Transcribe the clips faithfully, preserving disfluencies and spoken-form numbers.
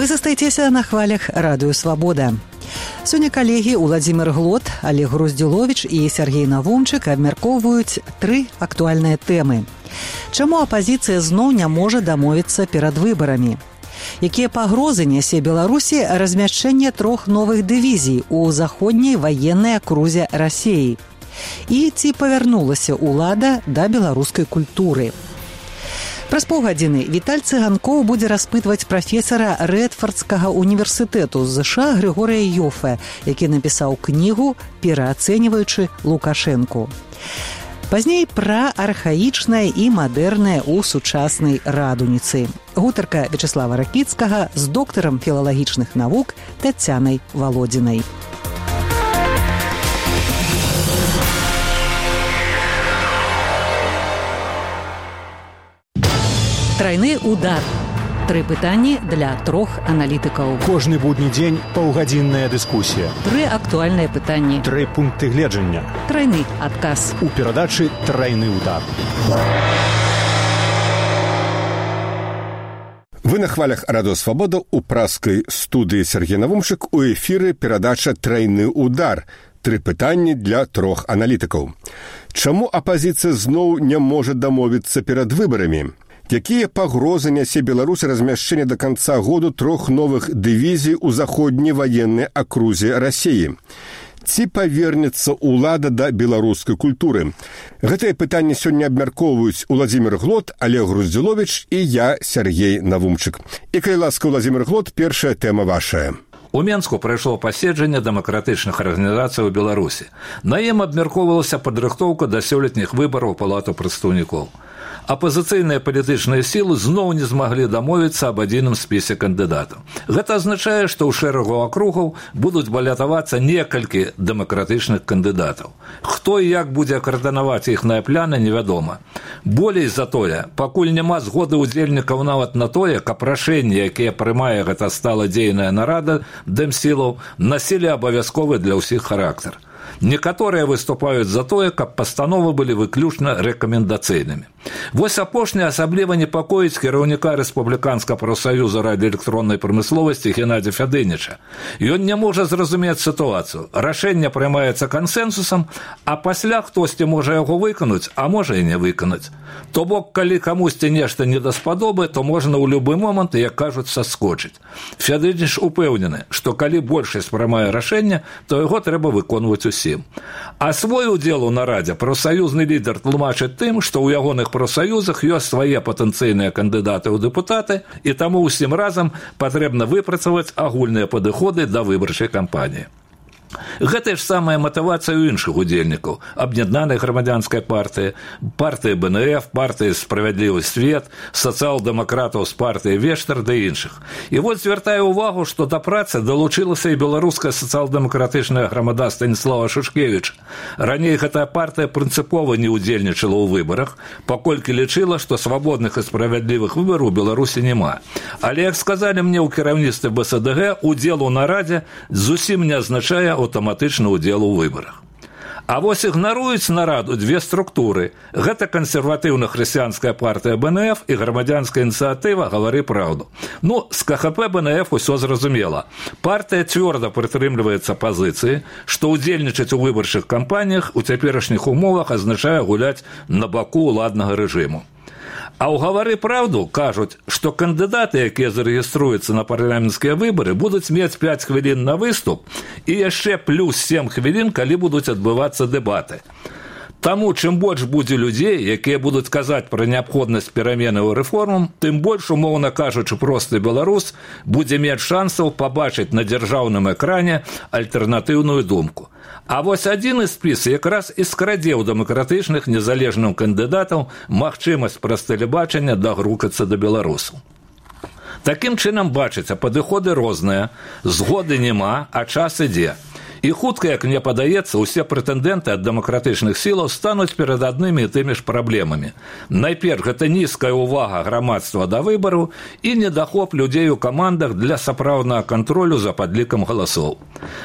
застаецеся на хвалях Радыё Свабода. Сёння калегі Уладзімір Глот, Олег Груздзіловіч і Сергей Навумчык абмяркоўваюць тры актуальныя тэмы. Чаму апазіцыя зноў не можа дамовіцца перад выбарамі? Якія пагрозы нясе Беларусі размяшчэнне трох новых дывізій у заходняй ваеннай акрузе Расіі? І ці павярнулася ўлада да беларускай культуры? Праз паўгадзіны Віталь Цыганкоў будзе распытваць прафесара Рэдфардскага універсітэту з ЗША Грыгорыя Йоффе, які напісаў кнігу «Пераацэньваючы Лукашэнку». Пазней пра архаічнае і мадэрнае ў сучаснай радуніцы. Гутарка Вячеслава Ракіцкага з доктарам філалагічных навук Тацянай Валодзінай. Трайны удар. Тры пытанні для трох аналітыкаў. Кожны будні дзень паўгадзінная дыскусія. Тры актуальныя пытанні. Тры пункты гледжання. Трайны адказ. У перадачы «Трайны удар». Вы на хвалях Радыё Свабода у праскай студыі Сергей Навумчык, у эфіры перадача «Трайны удар». Тры пытанні для трох аналітыкаў. Чаму апазіцыя зноў не можа дамовіцца перад выбарамі? Якія пагрозы нясе Беларусі размяшчэнне да канца году трох новых дывізій у заходняй ваеннай акрузе Расіі? Ці павернецца ўлада да беларускай культуры? Гэтае пытанне сёння абмяркоўваюць Уладзімір Глот, Олег Груздзіловіч і я, Сергей Навумчык. І калі ласка, Уладзімір Глот, першая тэма вашая. У Менску прайшло паседжанне дэмакратычных арганізацый у Беларусі. На ім абмяркоўвалася падрыхтоўка да сёлетніх выбараў Палату прадстаўнікоў. Апазіцыйныя палітычныя сілы зноў не змаглі дамовіцца аб адзіным спісе кандыдатаў. Гэта азначае, што ў шэрагу акругаў будуць балятавацца некалькі дэмакратычных кандыдатаў. Хто і як будзе каардынаваць іхныя пляны, невядома. Болей за тое, пакуль няма згоды ўдзельнікаў нават на тое, каб рашэнні, якія прымае гэта сталадзейная нарада дэмсілаў, насілі абавязковы для ўсіх характар. Некаторыя выступаюць за тое, каб пастановы былі выключна рэкамендацыйнымі. Вось апошняе асабліва непакоіць кіраўніка рэспубліканскага прафсаюза радыёэлектроннай прамысловасці Геннадзя Фядыніча. Ён не можа зразумець сітуацыю. Рашэнне прымаецца кансэнсусам, а пасля хтосьці можа яго выканаць, а можа і не выканаць. То бок, калі камусьці нешта не даспадобы, то можна ў любы момант, як кажуць, саскочыць. Фядыніч упэўнены, што калі большасць прымае рашэнне, то яго трэба выконваць усім. А свой удзел у нарадзе прафсаюзны лідар тлумачыць тым, што ў ягоных прафсаюзах ёсць свае патэнцыйныя кандыдаты ў дэпутаты, і таму ўсім разам патрэбна выпрацаваць агульныя падыходы да выбарчай кампаніі. Гэта ж самая матывацыя ў іншых удзельнікаў: аб'яднанай грамадзянскай партыі, партыі Бэ Эн Эф, партыі «Справядлівы свет», сацыял-дэмакратаў з партыі «Вештар» ды іншых. І вось звяртаю ўвагу, што да працы далучылася і беларуская сацыял-дэмакратычная грамада Станіслава Шушкевіча. Раней гэтая партыя прынцыпова не ўдзельнічала ў выбарах, паколькі лічыла, што свабодных і справядлівых выбараў у Беларусі няма. Але, як сказалі мне ў кіраўніцтве Бэ Эс Дэ Гэ, удзел у нарадзе зусім не азначае аўтаматычны ўдзел у выбарах. А вось ігнаруюць нараду дзве структуры. Гэта кансерватыўна-хрысціянская партыя Бэ Эн Эф і грамадзянская ініцыятыва «Гавары праўду». Ну, з Ка Ха Пэ Бэ Эн Эф усё зразумела. Партыя цвёрда прытрымліваецца пазіцыі, што ўдзельнічаць у выбарчых кампаніях у цяперашніх умовах азначае гуляць на баку ўладнага рэжыму. А ў «Гавары праўду» кажуць, што кандыдаты, якія зарэгіструюцца на парламенцкія выбары, будуць мець пяць хвілін на выступ і яшчэ плюс сем хвілін, калі будуць адбывацца дэбаты. Таму, чым больш будзе людзей, якія будуць казаць пра неабходнасць пераменаў і рэформам, тым больш, умоўна кажучы, просты беларус будзе мець шансаў пабачыць на дзяржаўным экране альтэрнатыўную думку. А вось адзіны спіс якраз і скрадзе ў дэмакратычных незалежным кандыдатаў магчымасць праз тэлебачання дагрукацца да беларусаў. Такім чынам, бачыце, падыходы розныя, згоды няма, а час ідзе. І хутка, як мне падаецца, усе прэтэндэнты ад дэмакратычных сілаў стануць перад аднымі і тымі ж праблемамі. Найперш, гэта нізкая ўвага грамадства да выбару і недахоп людзей у камандах для сапраўднага кантролю за падлікам галасоў.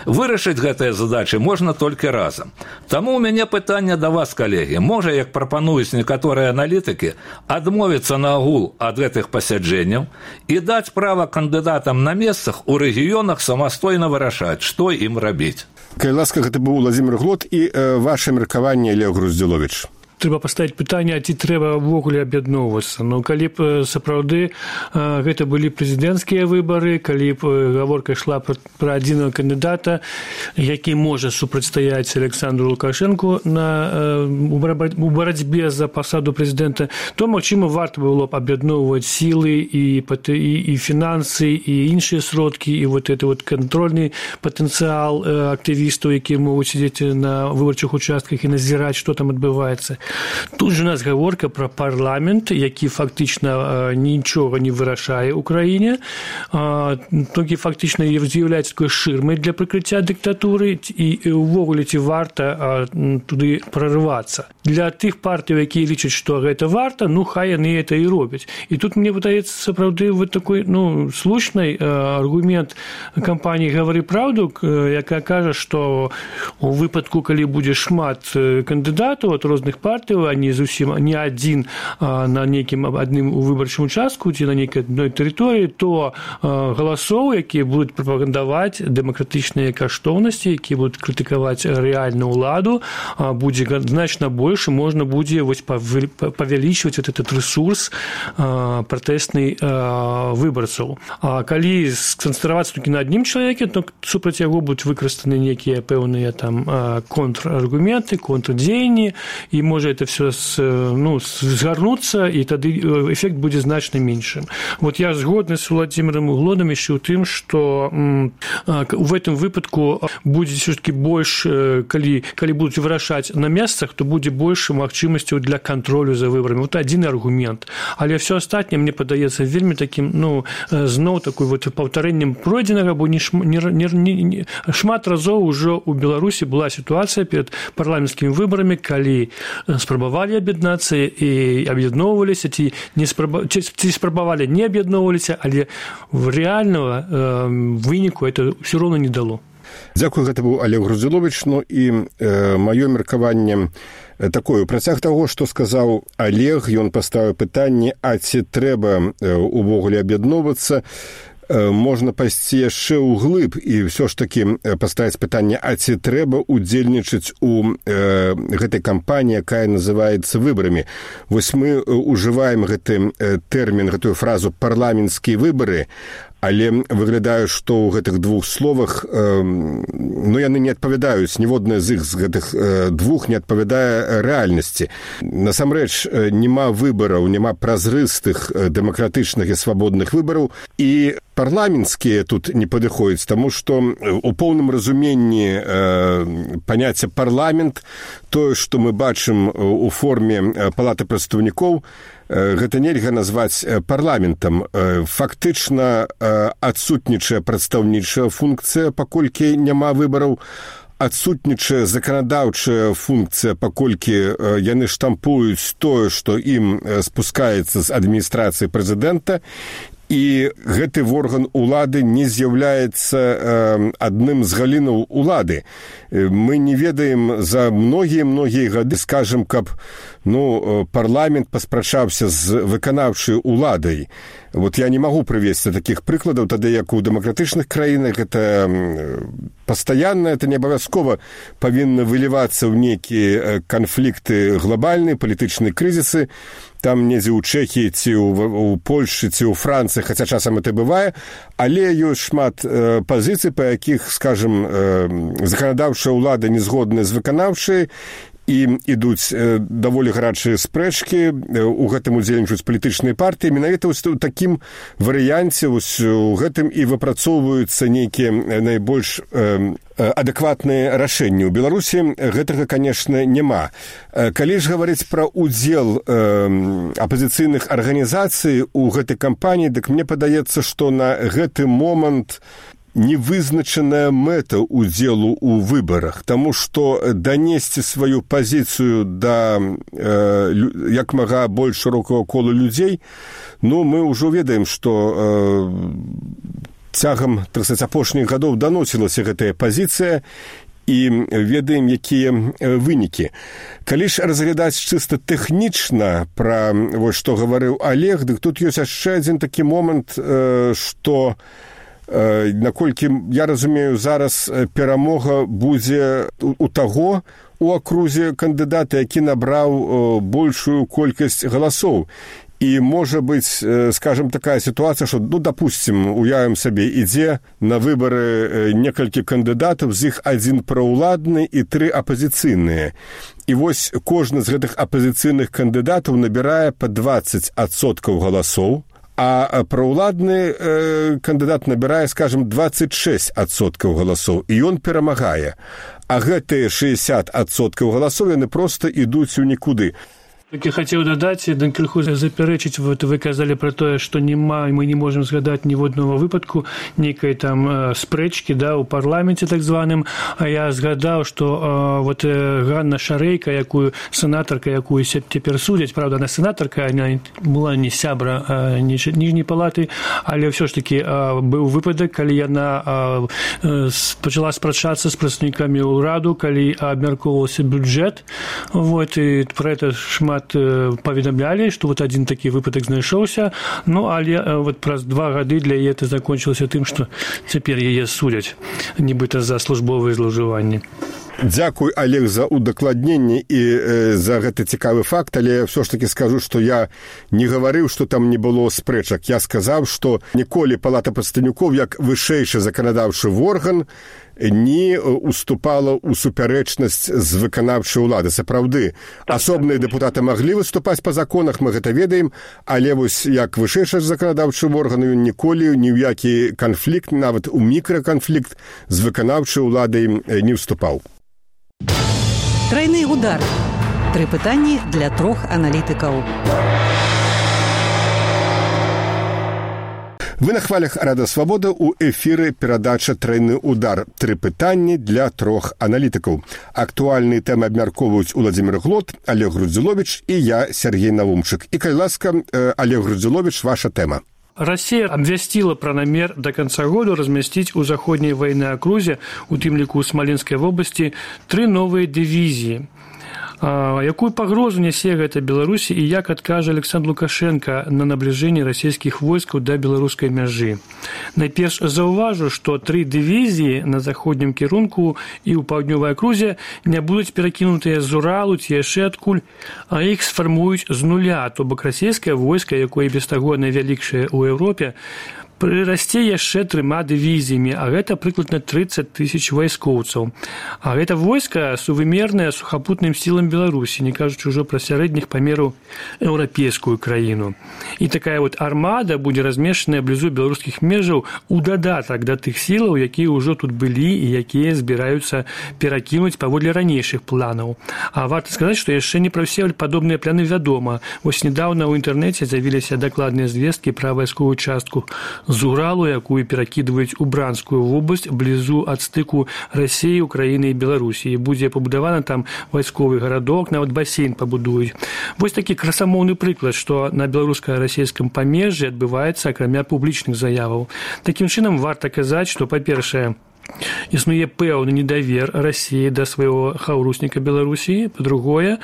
Вырашыць гэтыя задачы можна толькі разам. Таму ў мяне пытанне да вас, калегі. Можа, як прапануюць некаторыя аналітыкі, адмовіцца наагул ад гэтых пасяджэнняў і даць права кандыдатам на месцах у рэгіёнах самастойна вырашаць, што ім рабіць. Калі ласка, гэта быў Уладзімір Глот і э, ваше меркаванне, Олег Груздзіловіч. Трэба паставіць пытанне, а ці трэба ўвогуле аб'ядноўвацца. Ну, калі б сапраўды гэта былі прэзідэнцкія выбары, калі б гаворка ішла пра адзінага кандыдата, які можа супрацьстаяць Александру Лукашэнку на, у барацьбе за пасаду прэзідэнта, то, магчыма, варта было б аб'ядноўваць сілы і, і, і фінансы, і іншыя сродкі, і вот это вот кантрольны патэнцыял актывістаў, якія могуць сидзець на выбарчых участках і назіраць, што там адбываецца. Тут же у нас гаворка про парламент, які фактично нічога не вырашае ў краіне, толькі фактично з'яўляецца такой шырмай для прыкрыцця дыктатуры, і увогуле ці варта туды прорывацца. Для тых партый, якія лічаць, што гэта варта, ну хай яны это і робяць. І тут мне падаецца сапраўды вот такой, ну, слушнай аргумент кампаніі «Гавары праўду», якая кажа, што у выпадку, калі будзе шмат кандыдатаў ад розных партый, а не зусім не адзін на нейкім адным выбарчым участку ці на нейкай адной тэрыторыі, то галасоў, якія будуць прапагандаваць дэмакратычныя каштоўнасці, якія будуць крытыкаваць рэальную ўладу, будзе значна больш, і можна будзе вось павялічваць этот рэсурс пратэсны выбарцаў. А калі сканцэнтравацца толькі на адным чалавеке, то супраць яго будуць выкарыстаны нейкія пэўныя там контраргументы, контрдзеянні, і можа это все ну, згарнуцца, і тады эфект будзе значна меншым. Вот я згодны з Уладзімірам Глотам яшчэ ў тым, што в этом выпадку будзе все-таки больш, калі, калі будуць вырашаць на месцах, то будзе больш магчымасцяў для кантролю за выбарамі. Вот адзін аргумент. Але все астатняе мне падаецца вельмі таким, ну, зноў такой вот паўтарэннем пройдзенага, бо не, не, не, не, шмат разоў ужо ў Беларусі была сітуацыя перад парламенцкімі выбарамі, калі спрабавалі аб'яднацца і аб'ядноўваліся, ці, не спраба... ці, ці спрабавалі не аб'ядноўваліся, але рэальнага э, выніку это ўсё роўна не дало. Дзякую, гэта быў Олег Груздзіловіч. Ну і э, маё меркаванне такое. Працяг таго, што сказаў Олег, ён паставіў пытанне, а ці трэба э, увогуле аб'ядноўвацца, можна пайсці яшчэ ўглыб і ўсё ж такі паставіць пытанне, а ці трэба удзельнічаць у э, гэтай кампаніі, якая называецца выбарамі. Вось мы ужываем гэты тэрмін, гэтую фразу «парламенцкія выбары», але выглядае, што ў гэтых двух словах э, ну, яны не адпавядаюць, ніводная з іх з гэтых э, двух не адпавядае рэальнасці. Насамрэч, няма выбараў, няма празрыстых дэмакратычных і свабодных выбараў, і парламенцкія тут не падыходзяць, таму што у поўным разуменні э, паняцця парламент, тое, што мы бачым у форме палаты прадстаўнікоў, гэта нельга назваць парламентам. Фактычна адсутнічае прадстаўнічая функцыя, паколькі няма выбараў, адсутнічае заканадаўчая функцыя, паколькі яны штампуюць тое, што ім спускаецца з адміністрацыі прэзідэнта, і гэты орган улады не з'яўляецца э, адным з галінаў улады. Мы не ведаем за многія-многія гады, скажем, каб ну, парламент паспрачаўся з выканаўчай уладай. Вот я не магу прывесці такіх прыкладаў, тады як у дэмакратычных краінах гэта пастаянна, это не абавязкова павінна вылівацца ў нейкія канфлікты глобальныя, палітычныя крызісы, там недзе ў Чэхіі ці ў Польшы ці ў Францыі, хаця часам это бывае, але ёсць шмат э, пазіцый, па якіх, скажем, э, заканадаўчая ўлада не згодная з выканаўчай, і ідуць э, даволі гарачыя спрэчкі, э, у гэтым удзельнічаюць палітычныя партыі. Менавіта ў такім варыянце у гэтым і выпрацоўваюцца нейкія найбольш э, адэкватныя рашэнні. У Беларусі гэтага, канешне, няма. Калі ж гаварыць пра удзел э, апазіцыйных арганізацый у гэтай кампаніі, дык мне падаецца, што на гэты момант невызначаная мэта ўдзелу ў выбарах, таму што данесці сваю пазіцыю да э, як мага больш шырокага кола людзей, ну, мы ўжо ведаем, што э, цягам трыццаць апошніх гадоў даносілася гэтая пазіцыя, і ведаем, якія вынікі. Калі ж разглядаць чыста тэхнічна пра вось што гаварыў Олег, дык тут ёсць яшчэ адзін такі момант, што, наколькі я разумею, зараз перамога будзе у таго у акрузе кандыдата, які набраў большую колькасць галасоў. І можа быць, скажем, такая сітуацыя, што, ну, допустим, уявім сабе, ідзе на выбары некалькі кандыдатаў, з іх адзін праўладны і тры апазіцыйныя. І вось кожны з гэтых апазіцыйных кандыдатаў набірае па дваццаць адсоткаў галасоў, а праўладны э, кандыдат набірае, скажем, дваццаць шэсць адсоткаў галасоў, і ён перамагае. А гэтыя шэсцьдзесят адсоткаў галасоў яны проста ідуць у нікуды. Так я хотел додать, крыху заперечить, вот вы казали про то, что нема, мы не можем згадать ни в одного выпадку некой там э, спрэчки, да, у парламенте так званым, а я згадал, что э, вот э, Ганна Шарейка, якую сенаторка, якую теперь судять, правда, она сенаторка, она была не сябра э, нижней палаты, але все ж таки э, был выпадок, коли она э, начала спрачаться с представниками ўраду, коли абмяркоўваўся бюджет, вот, и про это шмат паведамлялі, што вот адзін такі выпадак знайшоўся, ну, але вот праз два гады для яе это закончылася тым, што цяпер яе судзяць, нібыта за службовыя злоўжыванні. Дзякуй, Олег, за удакладненне і э, за гэты цікавы факт, але ўсё ж такі скажу, што я не гаварыў, што там не было спрэчак. Я сказаў, што ніколі Палата прадстаўнікоў, як вышэйшы заканадаўчы орган, не уступала ў супярэчнасць з выканаўчай улады. Сапраўды, асобныя дэпутаты маглі выступаць па законах, мы гэта ведаем, але вось як вышэйшы заканадаўчы орган, ён ніколі ні ў які канфлікт, нават у мікраканфлікт з выканаўчай уладай не вступаў. Трайны удар. Тры пытанні для трох аналітыкаў. Вы на хвалях Радыё Свабода, у эфіры перадача «Трайны удар». Тры пытанні для трох аналітыкаў. Актуальныя тэмы абмяркоўваюць Уладзімір Глот, Олег Груздзіловіч і я, Сергей Навумчык. І, калі ласка, Олег Груздзіловіч, ваша тэма. Россия обвестила про намер до конца года разместить у заходней военной окрузе, у тым ліку у Смоленской области, три новые дивизии. Якую пагрозу нясе гэта Беларусі і як адкажа Александр Лукашенко на набліжэнне расійскіх войскаў да беларускай мяжы. Найперш заўважу, што тры дывізіі на заходнім кірунку і ў паўднёвай акрузе не будуць перакінутыя з Уралу ці яшчэ адкуль, а іх сфармуюць з нуля, то бок расійскае войска, якое без таго найвялікшае ў Еўропе, прырасце яшчэ трыма дывізіямі, а гэта прыкладна трыццаць тысяч вайскоўцаў. А гэта войска сувымернае сухапутным сілам Беларусі, не кажучы ўжо пра сярэдніх памераў еўрапейскую краіну. І такая вот армада будзе размешчаная блізу беларускіх межаў у дадатак да тых сілаў, якія ўжо тут былі і якія збіраюцца перакінуць паводле ранейшых планаў. А варта сказаць, што яшчэ не пра ўсе падобныя пляны вядома. Вось недаўна ў інтэрнэце з'явіліся дакладныя звесткі пра вайсковую частку з Уралу, якую перакідваюць у Бранскую вобласць блізу ад стыку Расіі, Украіны і Беларусі. І будзе пабудавана там вайсковы гарадок, нават басейн пабудуюць. Вось такі красамоўны прыклад, што на беларуска-расійскім памежжы адбываецца акрамя публічных заяваў. Такім чынам варта казаць, што, па-першае, існуе пэўны недавер Расіі да свайго хаўрусніка Беларусі. Па-другое,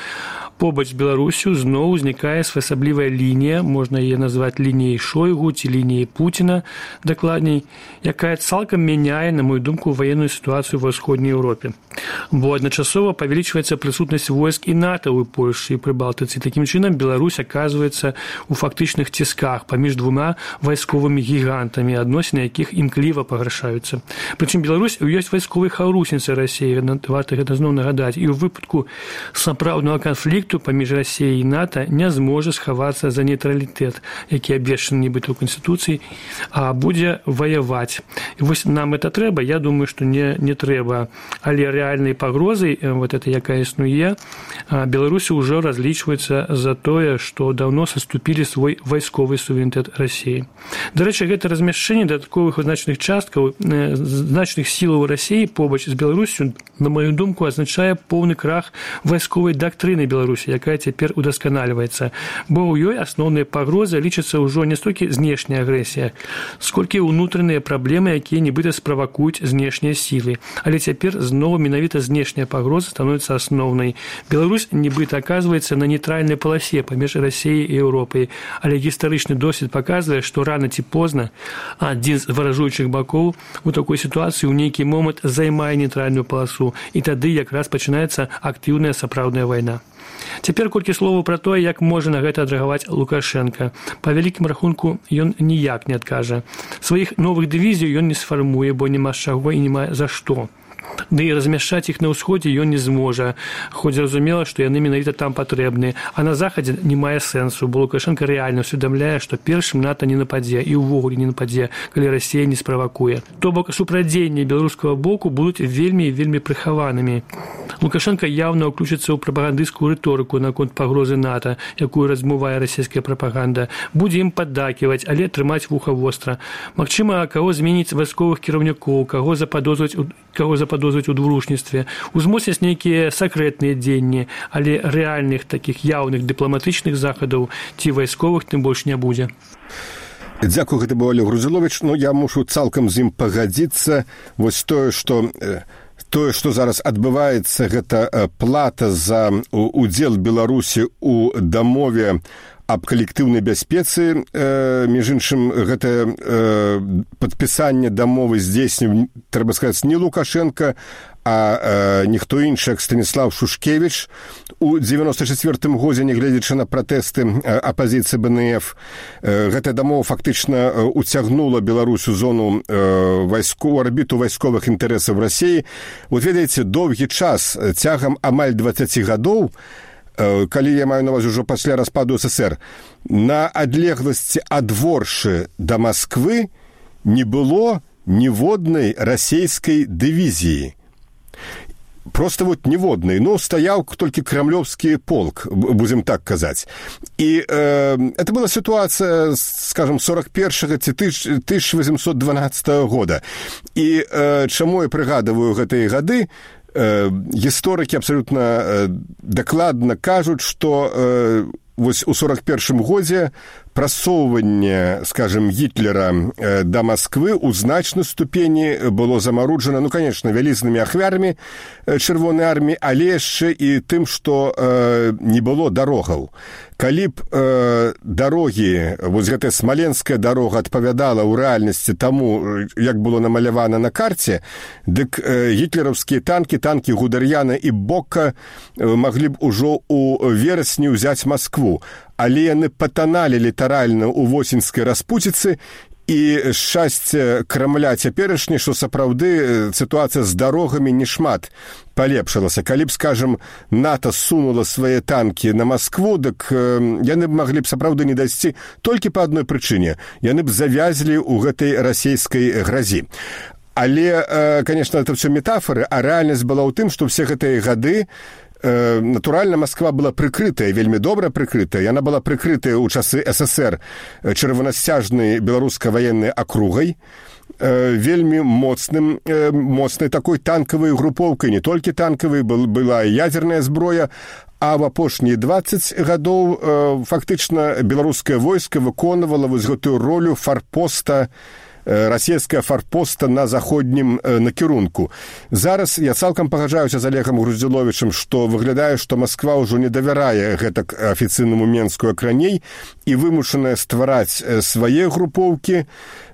побач з Беларусю зноў узнікае своеасаблівая лінія, можна яе назваць лініяй Шойгу ці лініяй Пуціна, дакладней, якая цалкам мяняе, на мою думку, военную ситуацию ва ўсходняй Еўропе. Бо адначасова павялічваецца прысутнасць войск і НАТО ў Польшы і Прыбалтыцы. Такім чынам Беларусь аказваецца ў фактычных цісках паміж двума вайсковымі гігантамі, адносіны якіх імкліва пагаршаюцца. Прычым Беларусь ёсць вайсковай хаўрусніцай Расіі, варта гэта зноў нагадаць, і ў выпадку сапраўднага канфлікту паміж Расіяй і НАТО не зможа схавацца за нейтралітэт, які абвешчаны нібыта ў Канстытуцыі, а будзе ваяваць. І вось нам это трэба? Я думаю, што не, не трэба. Але рэальна рэальнай пагрозай вот этой, якая існуе, Беларусі ўжо разлічваецца за тое, што даўно саступілі свой вайсковы суверэнітэт Расіі. Дарэчы, гэта размяшчэнне дадатковых значных часткаў значных сілаў Расіі побач з Беларусю, на маю думку, азначае поўны крах вайсковай дактрыны Беларусі, якая цяпер удасканальваецца. Бо ў ёй асноўныя пагрозы лічацца ўжо не столькі знешняя агрэсія, сколькі ўнутраныя праблемы, якія нібыта справакуюць знешнія сілы. Але цяпер зноў менавіта знешняя пагроза становіцца асноўнай. Беларусь нібыта аказваецца на нейтральнай паласе паміж Расіяй і Еўропай, але гістарычны досвед паказвае, што рана ці позна адзін з варажуючых бакоў у такой сітуацыі ў нейкі момант займае нейтральную паласу, і тады якраз пачынаецца актыўная сапраўдная вайна. Цяпер колькі словаў пра тое, як можа на гэта адрэагаваць Лукашенка. Па вялікім рахунку, ён ніяк не адкажа. Сваіх новых дывізій ён не сфармуе, бо няма з чаго і няма за што. Ды і размяшчаць іх на ўсходзе ён не зможа, хоць зразумела, што яны менавіта там патрэбны, а на захадзе не мае сэнсу, бо Лукашенко рэальна усведамляе, што першым НАТО не нападзе і ўвогуле не нападзе, калі Расія не справакуе. То бок супрадзеянні беларускага боку будуць вельмі і вельмі прыхаванымі. Лукашенко яўна ўключыцца ў прапагандысцкую рыторыку наконт пагрозы НАТО, якую размывае расійская прапаганда, будзе ім паддаківаць, але трымаць вуха востра. Магчыма, каго зменіць вайсковых кіраўнікоў, каго западозраць каго западозраць у двурушніцтве, узмоцняць нейкія сакрэтныя дзеянні, але рэальных такіх яўных дыпламатычных захадаў ці вайсковых тым больш не будзе. Дзякую, гэта быў Олег Груздзіловіч. Ну, я мушу цалкам з ім пагадзіцца. Вось тое, што тое, што зараз адбываецца, гэта плата за удзел Беларусі ў дамове аб калектыўнай бяспецы. Э, між іншым, гэта э, падпісанне дамовы здзейсніў, трэба сказаць, не Лукашенко, а э, ніхто іншы, як Станіслав Шушкевіч. У дзевяноста чацвёртым годзе, нягледзячы на пратэсты э, апазіцыі бэ эн эф, э, гэтая дамова фактычна э, уцягнула Беларусь у зону э, вайску, арбіту вайсковых інтарэсаў Расіі. Вот ведаеце, доўгі час, цягам амаль дваццаць гадоў, калі я маю на ўвазе ўжо пасля распаду СССР, на адлегласці ад Воршы да Масквы не было ніводнай расійскай дывізіі. Просто вот ніводнай. Ну, стаяў толькі крамлёвскі полк, будзем так казаць. І э, это была сітуацыя, скажем, сорок першага ці тысяча восемьсот дванадцатага года. І э, чаму я прыгадываю гэтыя гады, гісторыкі абсалютна дакладна кажуць, што вось у сорок першым годзе прасоўванне, скажем, Гітлера да Масквы ў значнай ступені было замаруджана, ну, конечно, вялізнымі ахвярамі чырвонай арміі, але яшчэ і тым, што не было дарогаў. Калі б э, дарогі, вось гэтая смаленская дарога адпавядала ў рэальнасці таму, як было намалявана на карце, дык э, гітлераўскія танкі, танкі Гудер'яна і Бока э, маглі б ужо ў верасні ўзяць Маскву. Але яны патаналі літаральна ў восеньскай распуціцы, і шчасце Крамля цяперашні, што сапраўды сітуацыя з дарогамі не шмат палепшылася. Калі б, скажем, НАТО сунула свае танкі на Маскву, дык яны б маглі б сапраўды не дайсці толькі па адной прычыне. Яны б завязлі ў гэтай расійскай гразі. Але, конечно, это все метафоры, а рэальнасць была ў тым, што ўсе гэтыя гады натуральна, Масква была прыкрытая, вельмі добра прыкрытая. Яна была прыкрытая ў часы СССР чырвонасцяжнай беларускай ваеннай акругай, вельмі моцным, моцнай такой танкавай групоўкай, не толькі танкавай, была ядзерная зброя, а в апошнія дваццаць гадоў фактычна беларускае войска выконвала вось гэтую ролю фарпоста, расійская фарпоста на заходнім накірунку. Зараз я цалкам пагаджаюся з Олегам Груздзіловічам, што выглядае, што Масква ўжо не давярае гэтак афіцыйнаму Менску як раней і вымушаная ствараць свае групоўкі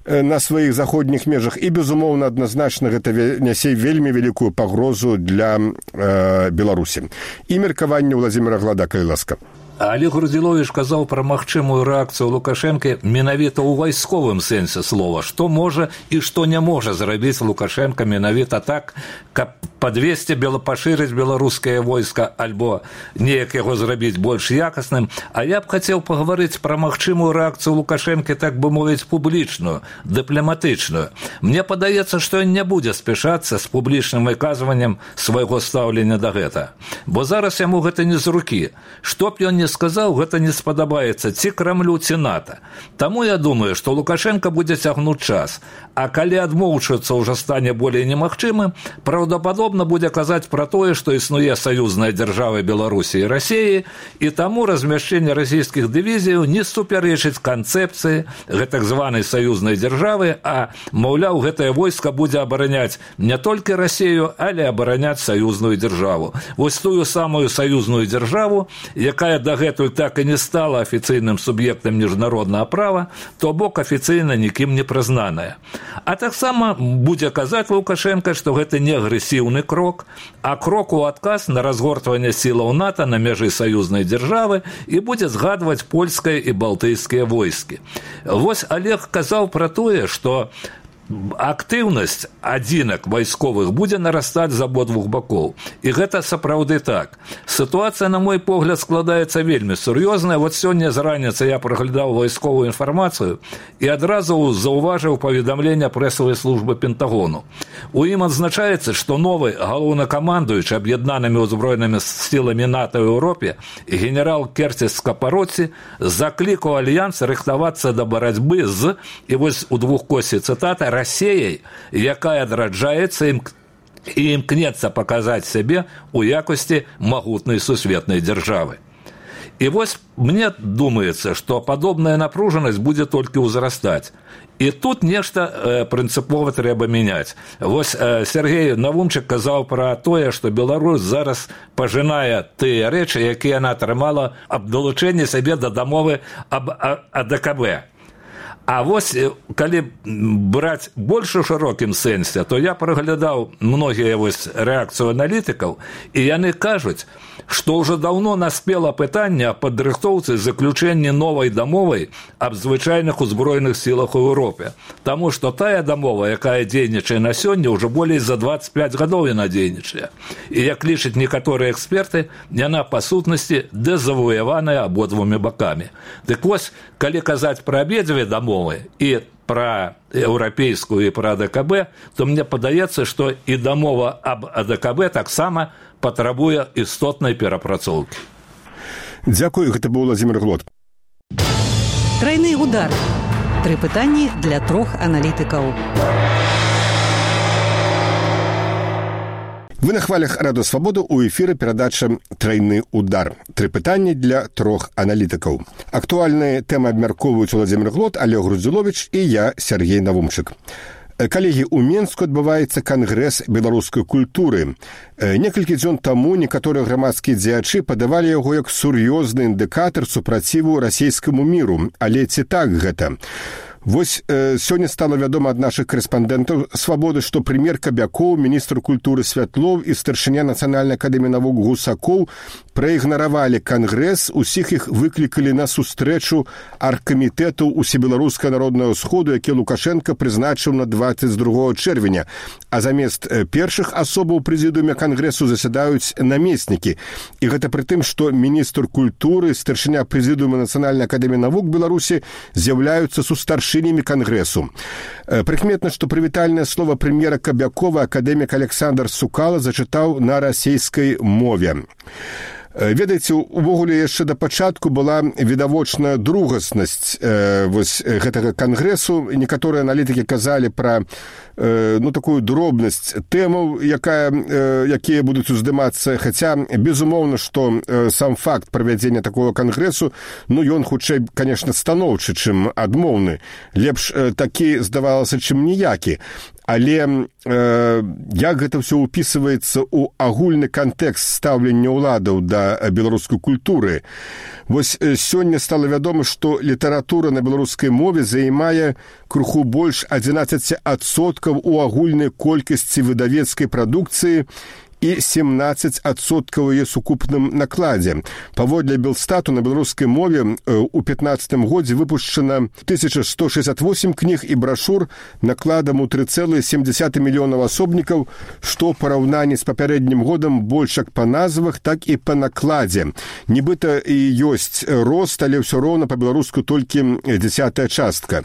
на сваіх заходніх межах, і, безумоўна, адназначна гэта нясе вельмі вялікую пагрозу для э, Беларусі. І меркаванне Владзіміра Глада, калі ласка. Олег Груздзіловіч казаў пра магчымую рэакцыю Лукашэнкі менавіта ў вайсковым сэнсе слова, што можа і што не можа зрабіць Лукашенко менавіта так, каб падвесці бела пашырыць беларускае войска альбо неяк яго зрабіць больш якасным. А я б хацеў пагаварыць пра магчымую рэакцыю Лукашэнкі, так бы мовіць, публічную, дыпламатычную. Мне падаецца, што ён не будзе спяшацца з публічным выказваннем свайго стаўлення да гэта. Бо зараз яму гэта не з рукі. Што б ён не сказаў, гэта не спадабаецца ці Крамлю, ці НАТО. Таму я думаю, што Лукашенко будзе цягнуць час, а калі адмоўчыцца ўжо стане болей немагчымым, праўдападобна будзе казаць пра тое, што існуе саюзная дзяржава Беларусі і Расіі, і таму размяшчэнне расійскіх дывізіяў не супярэчыць канцэпцыі гэтак званай саюзнай дзяржавы, а, маўляў, гэтае войска будзе абараняць не толькі Расію, але абараняць саюзную дзяржаву. Вось тую самую саюзную дзяржаву, якая дагэтуль так і не стала афіцыйным суб'ектам міжнароднага права, то бок афіцыйна нікім не прызнаная. А таксама будзе казаць Лукашенко, што гэта не агрэсіўны крок, а крок у адказ на разгортванне сілаў НАТО на мяжы саюзнай дзяржавы і будзе згадваць польскае і балтыйскія войскі. Вось Олег казаў пра тое, што актыўнасць адзінак вайсковых будзе нарастаць з абодвух бакоў. І гэта сапраўды так. Сітуацыя, на мой погляд, складаецца вельмі сур'ёзная. Вот сёння з раніцы я праглядаў вайсковую інфармацыю і адразу заўважыў паведамленне прэсавай службы Пентагону. У ім адзначаецца, што новы галоўнакамандуючы аб'яднанымі ўзброенымі сіламі НАТО ў Еўропе генерал Кертис Скапароці заклікаў альянс рыхтавацца да барацьбы з, і вось у двухкосе цытата, Расіяй, якая адраджаецца ім і імкнецца паказаць сябе ў якасці магутнай сусветнай дзяржавы. І вось мне думаецца, што падобная напружанасць будзе толькі ўзрастаць. І тут нешта э, прынцыпова трэба мяняць. Вось э, Сергей Навумчык казаў пра тое, што Беларусь зараз пажынае тыя рэчы, якія яна атрымала аб далучэнні сябе да дамовы аб А Дэ Ка Бэ. А вось, калі браць больш у шырокім сэнсе, то я праглядаў многія вось рэакцыю аналітыкаў, і яны кажуць, што ўжо даўно наспела пытанне аб падрыхтоўцы заключэння новай дамовы аб звычайных узброеных сілах у Еўропе. Таму што тая дамова, якая дзейнічае на сёння, ўжо болей за дваццаць пяць гадоў яна дзейнічае. І, як лічаць некаторыя эксперты, яна, па сутнасці, дэзавуяваная абодвумі бакамі. Дык вось, калі казаць пра абедзве дамовы і пра еўрапейскую і пра А Дэ Ка Бэ, то мне падаецца, што і дамова аб А Дэ Ка Бэ таксама патрабуе істотнай перапрацоўкі. Дзякую, гэта быў Владзімір Глот. Трайны удар. Тры пытанні для трох аналітыкаў. Вы на хвалях Радыё Свабода, у эфіры перадача «Трайны удар». Тры пытанні для трох аналітыкаў. Актуальныя тэмы абмяркоўваюць Владзімір Глот, Олег Груздзіловіч і я, Сергей Навумчык. Калегі, у Менску адбываецца кангрэс беларускай культуры. Некалькі дзён таму некаторыя грамадскія дзеячы падавалі яго як сур'ёзны індыкатар супраціву расійскаму міру. Але ці так гэта? Вось э, сёння стала вядома ад нашых корэспандэнтаў «Свабоды», што прэм'ер Кабякоў, міністр культуры Святлоў і старшыня Нацыянальнай акадэміі навук Гусакоў праігнаравалі кангрэс, усіх іх выклікалі на сустрэчу аргкамітэту Усебеларускага народнага сходу, які Лукашенко прызначыў на дваццаць другога чэрвеня. А замест першых асобаў прэзідыуме кангрэсу засядаюць намеснікі. І гэта пры тым, што міністр культуры, старшыня прэзідыума Нацыянальнай акадэміі навук Беларусі з'яўляюцца сустаршынямі кангрэсу. Прыкметна, што прывітальнае слова прэм'ера Кабякова акадэмік Александр Сукала зачытаў на расійскай мове. Ведаеце, увогуле яшчэ да пачатку была відавочная другаснасць э, вось гэтага кангрэсу. Некаторыя аналітыкі казалі пра э, ну, такую дробнасць тэмаў, якая, э, якія будуць уздымацца, хаця, безумоўна, што э, сам факт правядзення такого кангрэсу, ну, ён хутчэй, конечно, станоўчы, чым адмоўны. Лепш э, такі здавалася, чым ніякі. Але э, як гэта ўсё ўпісваецца ў агульны кантэкст стаўлення ўладаў да беларускай культуры. Вось сёння стала вядома, што літаратура на беларускай мове займае крыху больш адзінаццаць адсоткаў у агульнай колькасці выдавецкай прадукцыі, і семнадцаць адсоткаў яе сукупным накладзе. Паводле Белстату на беларускай мове у пятнаццатым годзе выпушчана тысяча сто шестьдесят восемь кніг і брашур накладам у тры цэлыя сем дзесятых мільёнаў асобнікаў, што ў параўнанні з папярэднім годам больш як па назвах, так і па накладзе. Нібыта і ёсць рост, але ўсё роўна па-беларуску толькі дзесятая частка.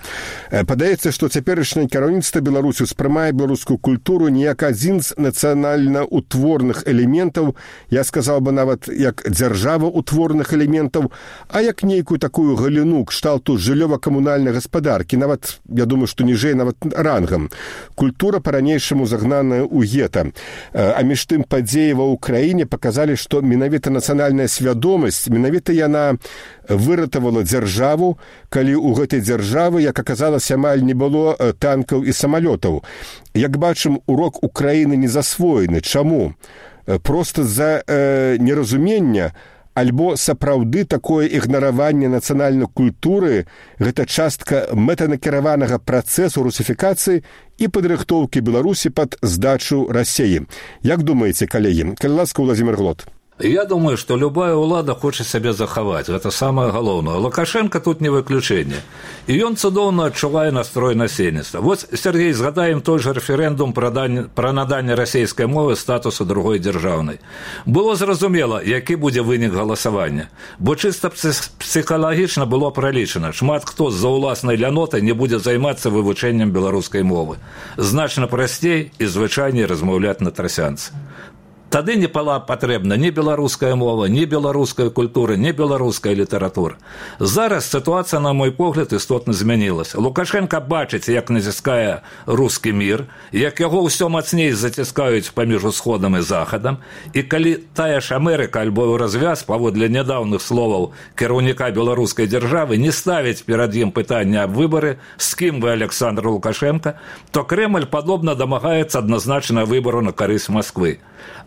Падаецца, што цяперашняе кіраўніцтва Беларусі ўспрымае беларускую культуру не як адзін з нацыянальна-утворных элементаў, я сказаў бы нават як дзяржава-утворных элементаў, а як нейкую такую галіну кшталту жыллёва-камунальнай гаспадаркі, нават, я думаю, што ніжэй нават рангам. Культура па-ранейшаму загнаная ў гета. А між тым падзеі ва ўкраіне паказалі, што менавіта нацыянальная свядомасць, менавіта яна выратавала дзяржаву, калі ў гэтай дзяржавы, як аказалася, амаль не было танкаў і самалётаў. Як бачым, урок Украіны не засвоены. Чаму? Проста з-за э, неразумення, альбо сапраўды такое ігнараванне нацыянальнай культуры – гэта частка мэтанакіраванага працэсу русіфікацыі і падрыхтоўкі Беларусі пад здачу Расіі. Як думаеце, калегі? Калі ласка, Владзімір Глот. Я думаю, што любая ўлада хоча сябе захаваць. Гэта самае галоўнае. Лукашенко тут не выключэнне. І ён цудоўна адчувае настрой насельніцтва. Вось, Сергей, згадаем той жа рэферэндум пра, дань, пра наданне расійскай мовы статусу другой дзяржаўнай. Было зразумела, які будзе вынік галасавання. Бо чыста псіхалагічна было пралічана. Шмат хто з-за ўласнай ляноты не будзе займацца вывучэннем беларускай мовы. Значна прасцей і звычайней размаўляць на трасянцы. Тады не была патрэбна ні беларуская мова, ні беларуская культура, ні беларуская літаратура. Зараз сітуацыя, на мой погляд, істотна змянілася. Лукашенко бачыць, як націскае рускі мір, як яго ўсё мацней заціскаюць паміж усходам і захадам, і калі тая ж Амерыка альбо развяз, паводле нядаўных словаў кіраўніка беларускай дзяржавы, не ставіць перад ім пытання аб выбары, з кім вы, Александр Лукашенко, то Кремль падобна дамагаецца адназначна выбару на карысць Масквы.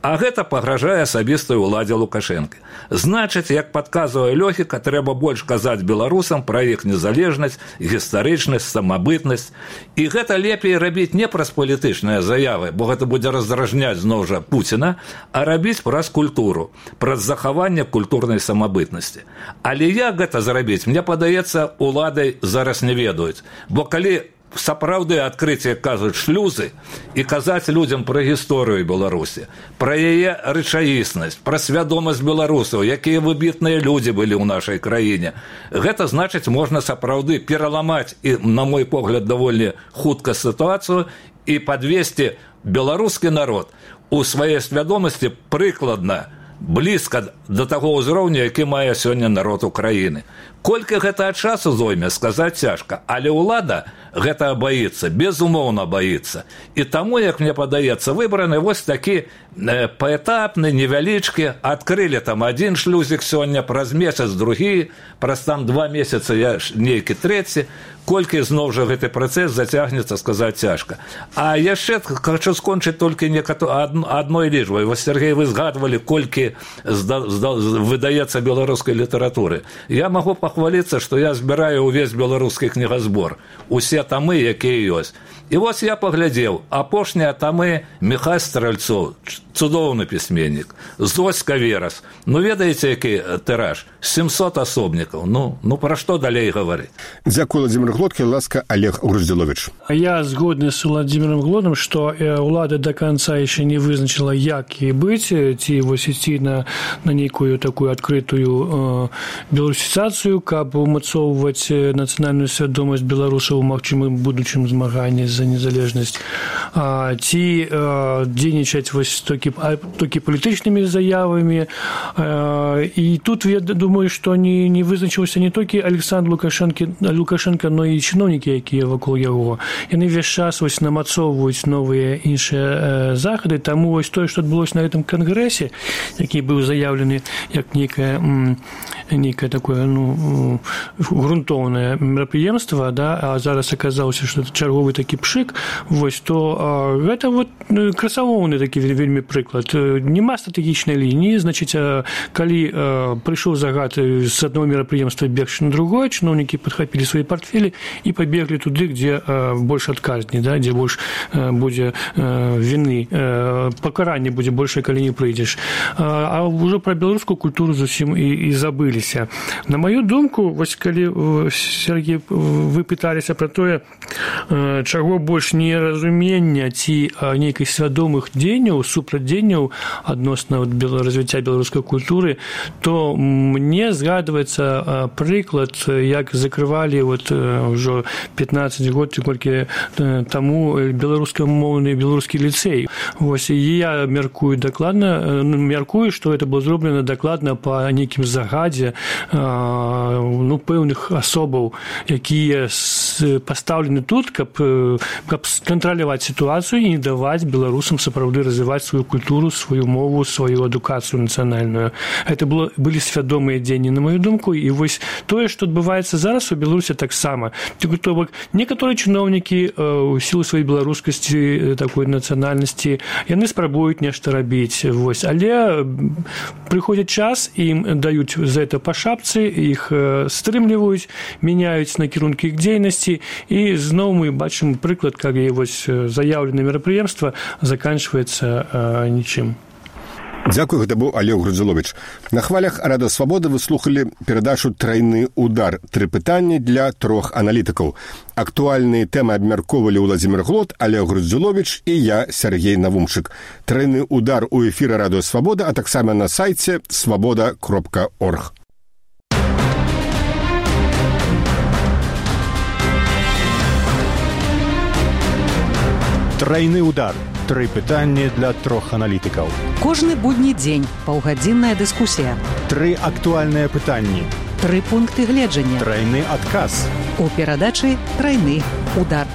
А гэта пагражае асабістай уладзе Лукашенко. Значыць, як падказвае логіка, трэба больш казаць беларусам пра іх незалежнасць, гістарычнасць, самабытнасць. І гэта лепей рабіць не праз палітычныя заявы, бо гэта будзе раздражняць зноў жа Пуціна, а рабіць праз культуру, праз захаванне культурнай самабытнасці. Але як гэта зрабіць, мне падаецца, улады зараз не ведаюць. Бо калі сапраўды адкрыць, як кажуць, шлюзы і казаць людзям пра гісторыю Беларусі, пра яе рэчаіснасць, пра свядомасць беларусаў, якія выбітныя людзі былі ў нашай краіне. Гэта значыць, можна сапраўды пераламаць і, на мой погляд, даволі хутка сітуацыю і падвесці беларускі народ у сваёй свядомасці прыкладна, блізка да таго ўзроўню, які мае сёння народ Украіны. Колькі гэта часу зойме, сказаць цяжка, але ўлада гэта баіцца, безумоўна баіцца. І таму, як мне падаецца, выбраны вось такі э, паэтапны, невялічкі, адкрылі там адзін шлюзік сёння, праз месяц другі, праз там два месяцы я нейкі трэці, колькі зноў жа гэты працэс зацягнецца, сказаць цяжка. А яшчэ хочу скончыць толькі адной лічбай. Вось, Сергей, вы згадвалі, колькі выдаецца беларускай літаратуры. Я магу пахваліцца, што я збіраю ўвесь беларускі кнігазбор. Усе тамы, якія ёсць. І вось я паглядзеў, апошнія тамы Міхась Стральцоў, цудоўны пісьменнік, Зоська Верас. Ну, ведаеце, які тыраж? сямсот асобнікаў. Ну, ну пра што далей гаварыць? Дзякую, Владзімір Глот, ласка, Олег Груздзіловіч. Я згодны з Владзімірам Глотам, што ўлада да канца яшчэ не вызначыла, як і быць, ці вось ісці на, на нейкую такую адкрытую э, беларусізацыю, каб умацоўваць нацыянальную свядомасць беларусаў у магчымым будучым змаганні за незалежнасць, а, ці а, дзейнічаць вось толькі, толькі палітычнымі заявамі. А, і тут я думаю, што не, не вызначыўся не толькі Александр Лукашенко, Лукашенко, но і чыноўнікі, якія вакол яго. Яны весь час вось намацоўваюць новыя іншыя захады, таму вось тое, што адбылося на гэтым кангрэсе, які быў заяўлены як нейкае, нейкае такое, ну, грунтоўнае мерапрыемства, да, а зараз аказалася, што это чарговы такі пшык, вось, то а, гэта вот красавоўны такі вельмі прыклад. Нема стратэгічнай лініі, значыць, а, калі а, прыйшоў загад з адного мерапрыемства бегчы на другое, чыноўнікі падхапілі свае партфелі і пабеглі туды, дзе а, больш адказней, да, дзе больш а, будзе а, віны а, пакаранне будзе больше, калі не прыйдзеш. А ўжо пра беларускую культуру зусім і, і забыліся. На маю думку, вось калі, Сергей, вы пыталіся пра тое, чаго больш неразумення ці нейкіх свядомых дзеянняў, супрацьдзеянняў адносна развіцця беларускай культуры, то мне згадваецца прыклад, як закрывалі вот ўжо пятнаццаць год ці колькі таму беларускамоўны беларускі ліцэй. Вось і я мяркую дакладна, мяркую, што это было зроблена дакладна па нейкім загадзе ну, пэўных асобаў, якія пастаўлены тут, каб, каб кантраляваць сітуацыю і не даваць беларусам сапраўды развіваць сваю культуру, сваю мову, сваю адукацыю нацыянальную. Это было, былі свядомыя дзеянні, на маю думку, і вось тое, што адбываецца зараз у Беларусі таксама. То бок, некаторыя чыноўнікі у сілу сваёй беларускасці, такой нацыянальнасці, яны спрабуюць нешта рабіць, вось, але прыходзіць час, ім даюць за это па шапцы, іх стрымліваюць, мяняюць накірункі іх дзейнасці, і зноў мы бачым прыклад, калі вось заяўленае мерапрыемства заканчваецца нічым. Дзякую, гэта быў Олег Грудзіловіч. На хвалях Радыё Свабода вы слухалі перадачу «Трайны удар». Тры пытанні для трох аналітыкаў. Актуальныя тэмы абмяркоўвалі Уладзімір Глот, Олег Грудзіловіч і я, Сергей Навумчык. «Трайны удар» у эфіры Радыё Свабода, а таксама на сайце свабода кропка орг. Трайны удар. Тры пытанні для трох аналітыкаў. Кожны будні дзень паўгадзінная дыскусія. Тры актуальныя пытанні. Тры пункты гледжання. Трайны адказ. У перадачы «Трайны удар».